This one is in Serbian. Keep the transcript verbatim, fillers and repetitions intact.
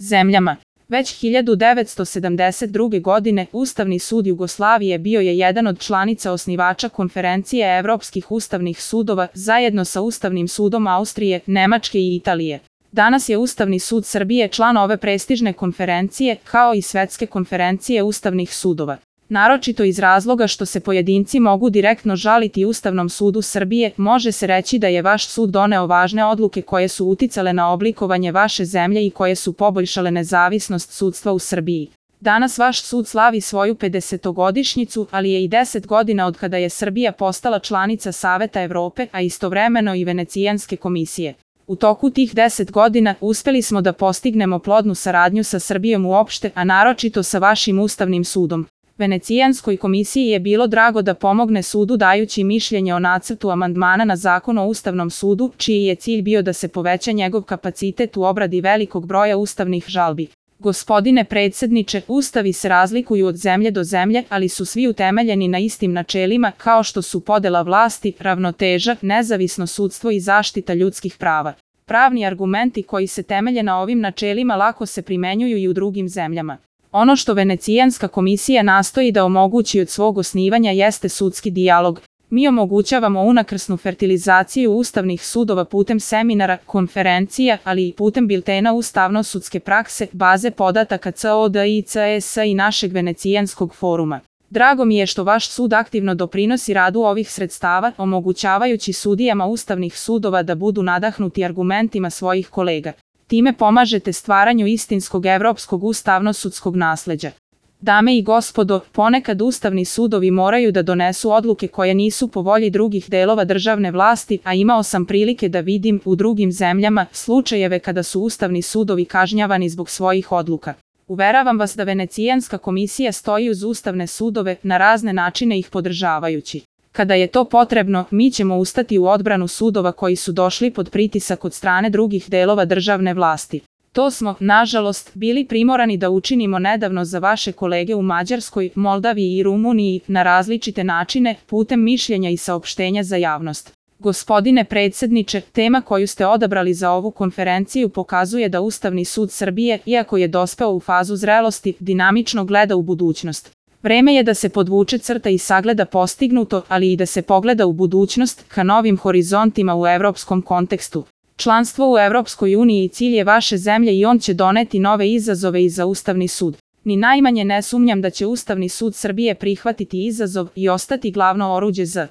zemljama. Već hiljadu devetsto sedamdeset druge. godine Ustavni sud Jugoslavije bio je jedan od članica osnivača Konferencije Evropskih ustavnih sudova zajedno sa Ustavnim sudom Austrije, Nemačke i Italije. Danas je Ustavni sud Srbije član ove prestižne konferencije, kao i Svetske konferencije ustavnih sudova. Naročito iz razloga što se pojedinci mogu direktno žaliti Ustavnom sudu Srbije, može se reći da je vaš sud doneo važne odluke koje su uticale na oblikovanje vaše zemlje i koje su poboljšale nezavisnost sudstva u Srbiji. Danas vaš sud slavi svoju pedesetogodišnjicu, ali je i deset godina od kada je Srbija postala članica Saveta Evrope, a istovremeno i Venecijanske komisije. U toku tih deset godina uspeli smo da postignemo plodnu saradnju sa Srbijom uopšte, a naročito sa vašim Ustavnim sudom. Venecijanskoj komisiji je bilo drago da pomogne sudu dajući mišljenje o nacrtu amandmana na Zakon o Ustavnom sudu, čiji je cilj bio da se poveća njegov kapacitet u obradi velikog broja ustavnih žalbi. Gospodine predsjedniče, ustavi se razlikuju od zemlje do zemlje, ali su svi utemeljeni na istim načelima, kao što su podela vlasti, ravnoteža, nezavisno sudstvo i zaštita ljudskih prava. Pravni argumenti koji se temelje na ovim načelima lako se primenjuju i u drugim zemljama. Ono što Venecijanska komisija nastoji da omogući od svog osnivanja jeste sudski dijalog. Mi omogućavamo unakrsnu fertilizaciju ustavnih sudova putem seminara, konferencija, ali i putem biltena ustavno-sudske prakse, baze podataka C O D I C S i našeg Venecijanskog foruma. Drago mi je što vaš sud aktivno doprinosi radu ovih sredstava, omogućavajući sudijama ustavnih sudova da budu nadahnuti argumentima svojih kolega. Time pomažete stvaranju istinskog evropskog ustavno-sudskog nasleđa. Dame i gospodo, ponekad ustavni sudovi moraju da donesu odluke koje nisu po volji drugih delova državne vlasti, a imao sam prilike da vidim u drugim zemljama slučajeve kada su ustavni sudovi kažnjavani zbog svojih odluka. Uveravam vas da Venecijanska komisija stoji uz ustavne sudove, na razne načine ih podržavajući. Kada je to potrebno, mi ćemo ustati u odbranu sudova koji su došli pod pritisak od strane drugih delova državne vlasti. To smo, nažalost, bili primorani da učinimo nedavno za vaše kolege u Mađarskoj, Moldaviji i Rumuniji na različite načine, putem mišljenja i saopštenja za javnost. Gospodine predsjedniče, tema koju ste odabrali za ovu konferenciju pokazuje da Ustavni sud Srbije, iako je dospeo u fazu zrelosti, dinamično gleda u budućnost. Vreme je da se podvuče crta i sagleda postignuto, ali i da se pogleda u budućnost, ka novim horizontima u evropskom kontekstu. Članstvo u Evropskoj uniji cilj je vaše zemlje i on će doneti nove izazove i za Ustavni sud. Ni najmanje ne sumnjam da će Ustavni sud Srbije prihvatiti izazov i ostati glavno oruđe za